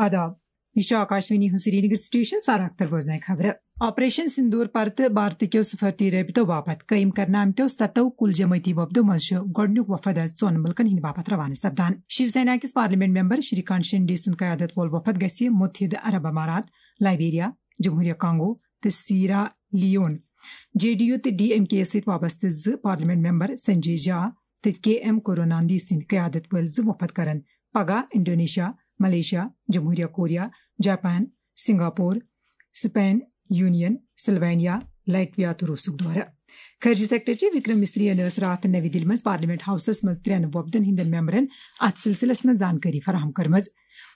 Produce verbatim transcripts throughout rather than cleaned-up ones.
آداب، یہِ چھُ آکاشوانی ہُنٛد سرینگر سٹیشن۔ سارا اختر بوزناوِ خبرٕ۔ آپریشن سندور پرتہٕ بھارتہٕ کیو سفارتی رٲبطو باپتھ قٲیِم کرنہٕ آمتیو ستو کُل جمٲعتی وفدو منٛز چھُ گۄڈٕنیُک وفد آز ژۄن مُلکن ہٕنٛدِ باپتھ روانہٕ سپدان۔ شیو سینا کِس پارلیمنٹ ممبر شری کانت شنڈے سُنٛد قیادت وول وفد گژھِ متحدہ عرب امارات، لائبیریا، جمہوریہ کانگو تہٕ سیرا لیون۔ جے ڈی یو تہٕ ڈی ایم کے یس سۭتۍ وابستہٕ زٕ پارلیمنٹ ممبر سنجے جھا تہٕ کے ایم کروناندھی سٕنٛدِ قیادت وٲلۍ زٕ وفد کرن پگاہ انڈونیشیا، ملیشیا، جمہوریہ کوریا، جاپان، سنگاپور، سپین، یونین، سلوینیا، لائٹویا تہٕ روسُک دورٕ۔ خارجہ سیکرٹری وکرم مصری ین ٲس راتھ نوی دِلہِ منٛز پارلیمنٹ ہاؤسس منٛز ترٛٮ۪ن وفدن ہٕنٛدٮ۪ن ممبرن اتھ سلسلس منٛز زانکٲری فراہم کٔرمٕژ۔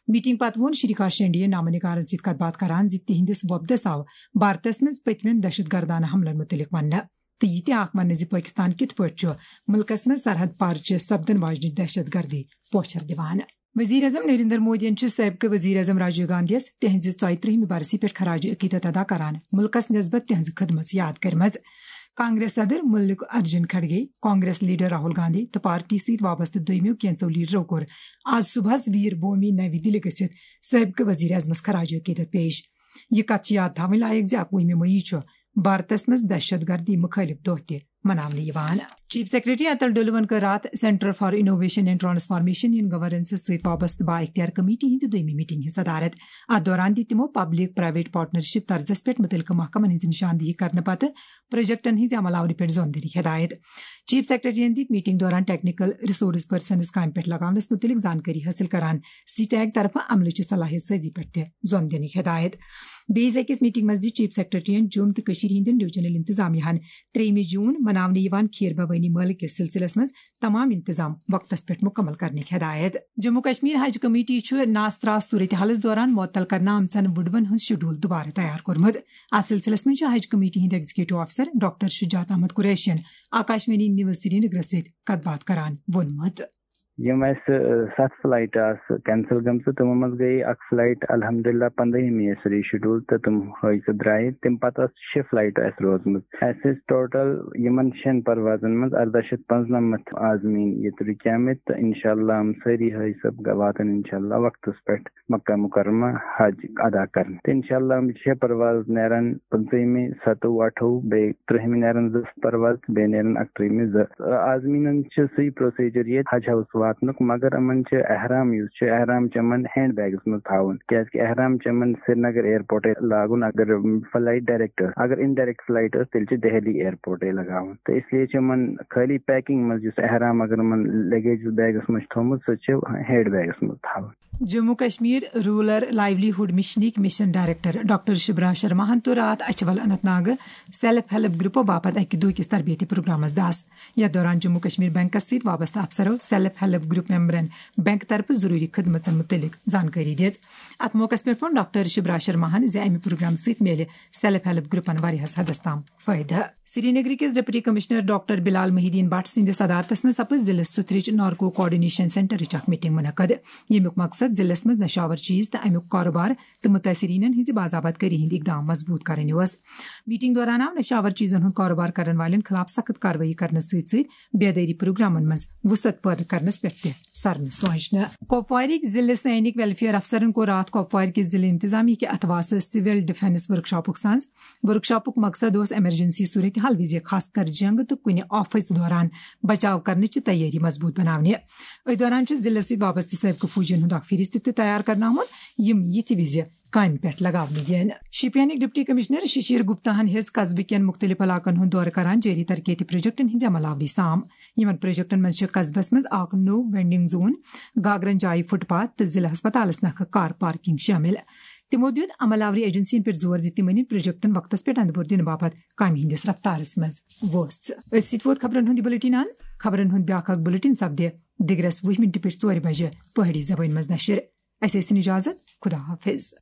میٹنگ پتہٕ ووٚن شری کانت شنڈے نامہ نگارن سۭتۍ کتھ باتھ کران زِ تِہنٛدِس وفدس آو بھارتس منٛز پٔتمٮ۪ن دہشت گردانہ حملن متعلق وننہٕ تہٕ یہِ تہِ آکھ وننہٕ زِ پٲکستان کِتھ پٲٹھۍ چھُ مُلکس منٛز سرحد پار چہِ سپدن واجنہِ دہشت گردی پوچھر دِوان۔ وزیر اعظم نریندر مودیَن چھُ سٲبقہٕ وزیر اعظم راجیو گاندھی یَس تِہنٛزِ ژۄیہِ ترٛہمہِ برسی پٮ۪ٹھ خراج عقیدت ادا کران مُلکس نسبت تِہنٛز خدمت یاد کٔرمٕژ۔ کانگریس صدر ملک ارجن کھڑگے، کانگریس لیڈر راہل گاندھی تہٕ پارٹی سۭتۍ وابستہٕ دوٚیمیو کینژو لیڈرو کوٚر آز صبحس ویر بھومی نوی دِلہِ گٔژھِتھ سٲبقہٕ وزیر اعظمس خراج عقیدت پیش۔ یہِ کتھ چھِ یاد تھاوٕنۍ لایق زِ اکوُہمہِ مئی چھُ بھارتس منٛز دہشت گردی مُخٲلِف دۄہ تہِ مناونہٕ یِوان۔ چیف سیکرٹری اتل ڈولون کٔر راتھ centre for innovation and transformation in governance سۭتۍ وابستہٕ با اختیار کمیٹی ہٕنٛزِ دوٚیمہِ میٹنگ ہٕنٛز صدارت۔ اتھ دوران دِتۍ تِمو پبلک پرائیویٹ پارٹنرشپ طرزس پٮ۪ٹھ متعلقہٕ محکمن ہٕنٛز نشاندہی کرنہٕ پتہٕ پروجیکٹن ہٕنٛزِ عمل آوری پٮ۪ٹھ زون دِنٕکۍ ہدایت۔ چیف سیکرٹریَن دِتۍ میٹنگ دوران ٹیکنیکل ریسورس پرسنز کامہِ پٮ۪ٹھ لگاونس متعلق زانکٲری حٲصِل کران سی ٹیک طرفہٕ عملہٕ چہِ صلاحیت سازی پٮ۪ٹھ تہِ زون دِنٕکۍ ہدایت۔ بیٚیِس أکِس میٹنگ منٛز دِژ چیف سیکرٹریَن جوٚم تہٕ کٔشیٖرِ ہٕنٛدٮ۪ن ڈویژنل انتظامیہن ترٛیٚیِمہِ جوٗن مناونہٕ یِوان کھیٖر بھوٲنی مٲلہٕ کِس سلسلس منٛز تمام انتظام وقتس پٮ۪ٹھ مُکمل کرنٕکۍ ہدایت۔ جموں کشمیر حج کمیٹی چھُ ناسراس صورتحالس دوران معطل کرنہٕ آمژن وُڈوَن ہُنٛد شیڈول دوبارٕ تیار کوٚرمُت۔ اتھ سلسلس منٛز چھُ حج کمیٹی ہٕنٛدۍ ایگزیکٹو افسر ڈاکٹر شجاعت احمد قریشین آکاشوانی نیوز سرینگرس سۭتۍ کتھ باتھ کران ووٚنمُت۔ یِم اَسہِ، ٲ، ستھ فلائٹ آسہٕ کینسل گٔمژٕ، تِمو منٛز گٔیے اکھ فلائٹ الحمدللہ پنٛدہمہِ یَس ری شیڈول تہٕ تِم ہٲوۍ سۄ درٛایہِ۔ تَمہِ پتہٕ آسہٕ شےٚ فلائٹ اَسہِ روزمٕژ۔ اَسہِ ٲسۍ ٹوٹل یِمن شٮ۪ن پروازن منٛز ارداہ شیٚتھ پانٛژنمتھ عازمیٖن ییٚتہِ رُکیمٕتۍ تہٕ انشاءاللہ یِم سٲری ہٲوۍ سۄ واتن انشاءاللہ وقتس پٮ۪ٹھ مکہ مکرمہ حج ادا کرنہِ۔ تہٕ انشاءاللہ یِم شےٚ پرواز نیرن پٕنٛژٕہمہِ، ستووُہ، اَٹھووُہ، بیٚیہِ ترٛہمہِ نیرن زٕ پرواز تہٕ بیٚیہِ نیرن اَکترٛہمہِ زٕ۔ عازمیٖنن چھُ سُے پروسیجر ییٚتہِ حج ہاوُس واتنُک، مگر یِمن چھُ احرام یُس چھُ، احرام چھُ یِمن ہینڈ بیگس منٛز تھاوُن، کیازِ کہِ احرام چھُ یِمن سرینگر ایئرپورٹے لاگُن۔ اگر فلائٹ ڈائریکٹ ٲس، اگر انڈائریکٹ فلائٹ ٲس، تیٚلہِ چھُ دہلی ایئرپورٹے لگاوُن۔ تہٕ اس لیے چھُ یِمن خٲلی پیکنگ منٛز یُس احرام اگر یِمن لگیج بیگس منٛز چھُ تھوٚومُت، سُہ چھُ ہینڈ بیگس منٛز تھاوُن۔ Jammu Kashmir rural livelihood مشنٕکۍ مشن ڈائریکٹر ڈاکٹر شبرا شرماہن توٚر راتھ اچھول اننت ناگہٕ سیلف ہیلپ گروپو باپتھ اکہِ دۄہ کِس تربیتی پروگرامس دس۔ یتھ دوران جموں کشمیر بینکس سۭتۍ وابستہٕ افسرو سیلف ہیلپ گروپ ممبرن بینک طرفہٕ ضروری خدمژن متعلق زانکٲری دِژ۔ اتھ موقعس پٮ۪ٹھ ووٚن ڈاکٹر شبرا شرماہن زِ امہِ پروگرام سۭتۍ میلہِ سیلف ہیلپ گروپن واریاہس حدس تام فٲیدٕ۔ سرینگر کِس ڈپٹی کمشنر ڈاکٹر بلال محی الدین بٹ سٕنٛدِس صدارتس منٛز سپٕز ضلعہٕ سُتھرٕچ نارکو کوآرڈینیشن سینٹرٕچ اکھ میٹنگ منعقد، ییٚمیُک مقصد ضلعس منٛز نشاور چیز تہٕ امیُک کاروبار تہٕ متٲثریٖنن ہٕنٛزِ باضابطگی ہٕنٛدۍ اقدام مضبوٗط کرٕنۍ اوس۔ میٹنگ دوران آو نشاور چیزن ہُنٛد کاروبار کرن والٮ۪ن خلاف سخت کاروٲیی کرنہٕ سۭتۍ سۭتۍ بیدٲری پروگرامن منٛز وسعت پٲدٕ کرنس پٮ۪ٹھ تہِ سرنہٕ سونچنہٕ۔ کپوارٕکۍ ضلعہٕ سینک ویلفیئر افسرن کوٚر راتھ کپوارِ کِس ضلعہٕ انتظامیہ کہِ اتھواسہٕ سول ڈیفنس ورکشاپُک سنز۔ ورکشاپُک مقصد اوس ایمرجنسی صورتحال وِزِ، خاص کر جنگ تہٕ کُنہِ آفژ دوران، بچاو کرنٕچ تیٲری مضبوٗط بناونہِ۔ أتھۍ دوران چھُ ضلعس سۭتۍ وابستہٕ سٲبقہٕ فوجین ہُنٛد اکھ فہرست تہِ تیار کرنہٕ آمُت، یِم یِتھِ وِزِ کامہِ پٮ۪ٹھ لگاونہٕ یِن۔ شوپینٕکۍ ڈپٹی کمشنر ششیر گپتا ہن ہیٚژ قصبہٕ کٮ۪ن مُختٔلِف علاقن ہُنٛد دورٕ کران جٲری ترقیتی پروجیکٹن ہٕنٛزِ عمل آوری سام۔ یِمن پروجیکٹن منٛز چھِ قصبس منٛز اکھ نوٚو وینڈنگ زون، گاگرن جایہِ فٹ پاتھ تہٕ ضلعہٕ ہسپتالس نکھٕ کار پارکنگ شٲمِل۔ تِمو دیُت عمل آوری ایجنسین پٮ۪ٹھ زور زِ تِم أنِن پروجیکٹن وقتس پٮ۪ٹھ اندٕ بور دِنہٕ باپتھ کامہِ ہٕنٛدِس رفتارس منٛز وۄژھ۔ أتھۍ سۭتۍ ووت خبرن ہُنٛد یہِ بلیٹن اند۔ خبرن ہُنٛد بیٛاکھ اکھ بلیٹن سپدِ دِگرس وُہہِ مِنٹہِ پٮ۪ٹھ ژورِ بجہِ پہٲڑی زبٲنۍ منٛز نشر۔ اسہِ ٲسِن اجازت۔ خدا حافظ۔